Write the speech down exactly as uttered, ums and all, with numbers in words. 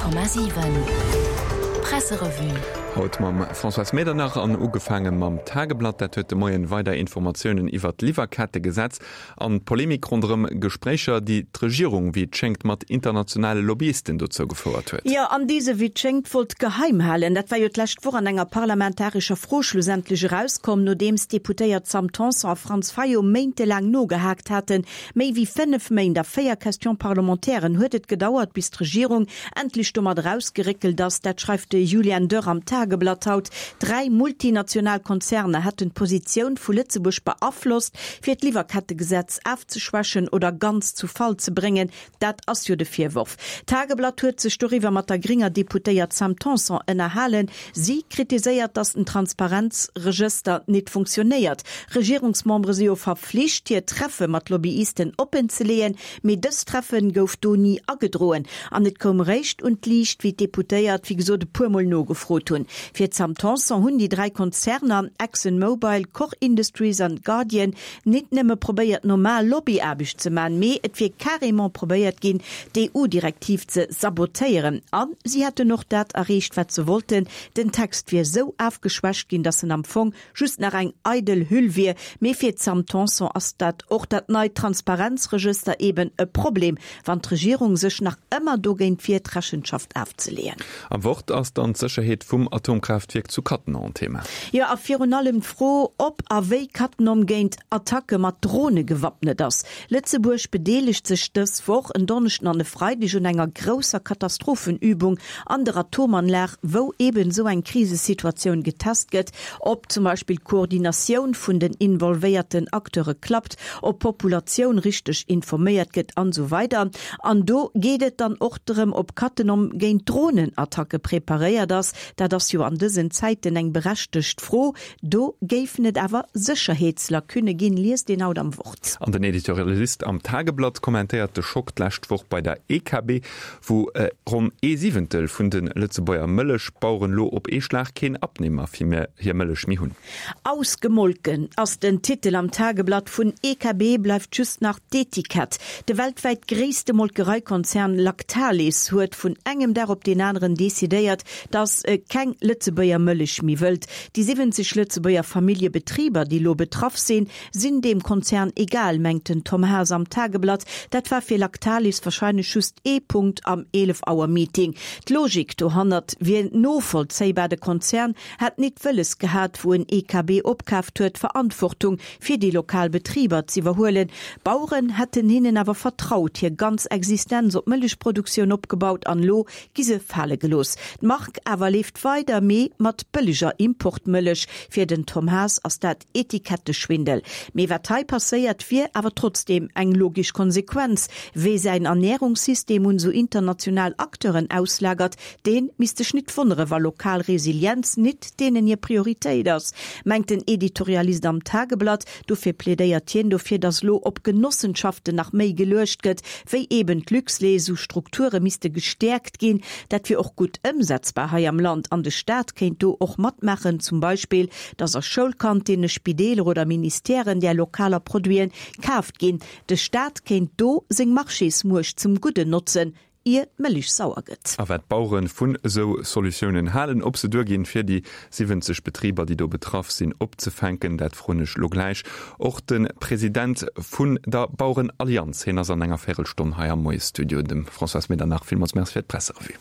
Honnert Komma siwen Presserevue. Haut mam Françoise Medernach an ugefaange mam Tageblatt. Dat huet de Moien weider Informatiounen iwwert d'Liwwerkettegesetz an d'Polemik ronderëm Gespréicher, déi d'Regierung, wéi et schéngt, mat internationale Lobbyisten dozou gefouert huet. Jo, an déi se, wéi et schéngt, wollt geheim halen. Dat war jo d'lescht Woch an enger parlamentarescher Fro schlussendlech erauskomm, nodeems d'Deputéiert Sam Tanson a Franz Fayot méintelaang nogehaakt haten. Méi wéi fënnef Méint a véier Question-parlementairen huet et gedauert, bis d'Regierung endlech domat erausgeréckelt ass. Dat schreift de Julian Dörr am Tageblatt haut. Dräi multinational Konzerner hätten d'Positioun vu Lëtzebuerg beaflosst, fir d'Liwwerkettegesetz afzeschwächen oder ganz zu Fall ze bréngen. Dat ass jo de Virworf. D'Tageblatt huet sech doriwwer mat der grénger Deputéiert Sam Tanson ënnerhalen. Si kritiséiert, datt den Transparenzregëster nit funktionéiert. Regierungsmembere si jo verflicht, hir Treffe mat Lobbyisten oppen ze leeën, mee dës Treffe gouf do ni agedroen. An et koum réischt un d'Liicht, wéi d'Deputéiert, wéi gesot, e puer Mol nogefrot hunn. Fir d'Sam Tanson hunn déi dräi Konzerner Exxon Mobil, Koch Industries an Guardian nit nëmme probéiert, normal Lobbyaarbecht ze man, mee et wier carrément probéiert ginn, d'EU-Direktiv ze sabotéieren. A si hätten och dat erreecht, wat se wollten, den Text wier esou afgeschwächt ginn, datt en am Fong just nach eng eidel Hüll wier. Mee fir d'Sam Tanson ass dat och dat neit Transparenzregëster eben e Problem, wann d'Regierung sech nach ëmmer dogéint wiert, Rechenschaft afzeleeën. Am Wort ass dann d'Sécherheet vum Atomkraaftwierk zu Cattenom Thema. Jo, a virun allem d'Fro, ob a wéi Cattenom géint Attacke mat Drone gewappnet ass. Lëtzebuerg bedeelegt sech dës Woch en Donneschden an e Freideg un enger grousser Katastrophenübung an der Atomanlag, wou eben esou eng Krisesituatioun getest gëtt, ob zum Beispill d'Koordinatioun vun den involvéierten Acteure klappt, ob d'Populatioun richteg informéiert gëtt an esou weider. An do geet et dann och drëm, ob Cattenom géint Dronenattacke preparéiert ass. Dat ass jo an dësen Zäiten eng berechtegt Fro. Do géifen et awer Sécherheetslacunne ginn, liest een haut am Wort. An den Editorialist am Tageblatt kommentéiert de Schock d'lescht Woch bei der E K B, wou ronn ee Siwentel vun de Lëtzebuerger Mëllechbaueren lo op ee Schlag keen Abnehmer fir hir Mëllech méi hunn. Ausgemolken ass den Titel am Tageblatt. Vun E K B bleift just nach d'Etikett. De weltwäit gréisste Molkereikonzern Lactalis huet vun engem Dag op deen aneren decidéiert, datt e keng Lëtzebuerger Mëllech méi wëllt. Déi siwwenzeg Lëtzebuerger Familljebetriber, déi lo betraff sinn, sinn deem Konzern egal, mengt den Tom Haas am Tageblatt. Dat war fir Lactalis warscheinlech just ee Punkt am eelef-Auer-Meeting. D'Logik dohannert wier novollzéibar, de Konzern hätt nit wëlles gehat, wou en E K B opkaaft huet, Verantwortung fir déi lokal Betriber z'iwwerhuelen. D'Baueren hätten hinnen awer vertraut, hir ganz Existenz op d'Mëllechproduktioun opgebaut an elo gi se fale gelooss. D'Mark awer leeft weider, mee mat bëlleger Importmëllech. Fir den Tom Haas ass dat Etiketteschwindel. Mee wat hei passéiert, wier awer trotzdeem eng logesch Konsequenz. Wee säin Ernärungssystem un esou international Acteuren auslagert, dee misst sech nit wonnere wa lokal Resilienz nit deenen hir Prioritéit ass, mengt den Editorialist am Tageblatt. Dofir plädéiert hien dofir, datt elo op Genossenschaften nach méi geluecht gëtt, wéi eben d'Luxlait. Esou Strukture misste gestäerkt ginn. Dat wier och gutt ëmsetzbar hei am Land an de Staat kéint do och matmaachen, zum Beispill datt a Schoulkantinne, Spideeler oder Ministèren där lokaler Produiten kaaft ginn. De Staat kéint do seng Marchésmuecht zum Gudden notzen, ier d'Mëllech sauer gëtt. A wat d'Bauere vun esou Solutiounen halen, ob se duerginn, fir déi siwwenzeg Betriber, déi do betraff sinn, opzefänken, dat froen ech lo gläich och de President vun der Bauerenallianz. Hien ass an enger Véirelstonn hei am Moiesstudio. Dem Françoise Medernach villmools Merci fir d'Presserevue.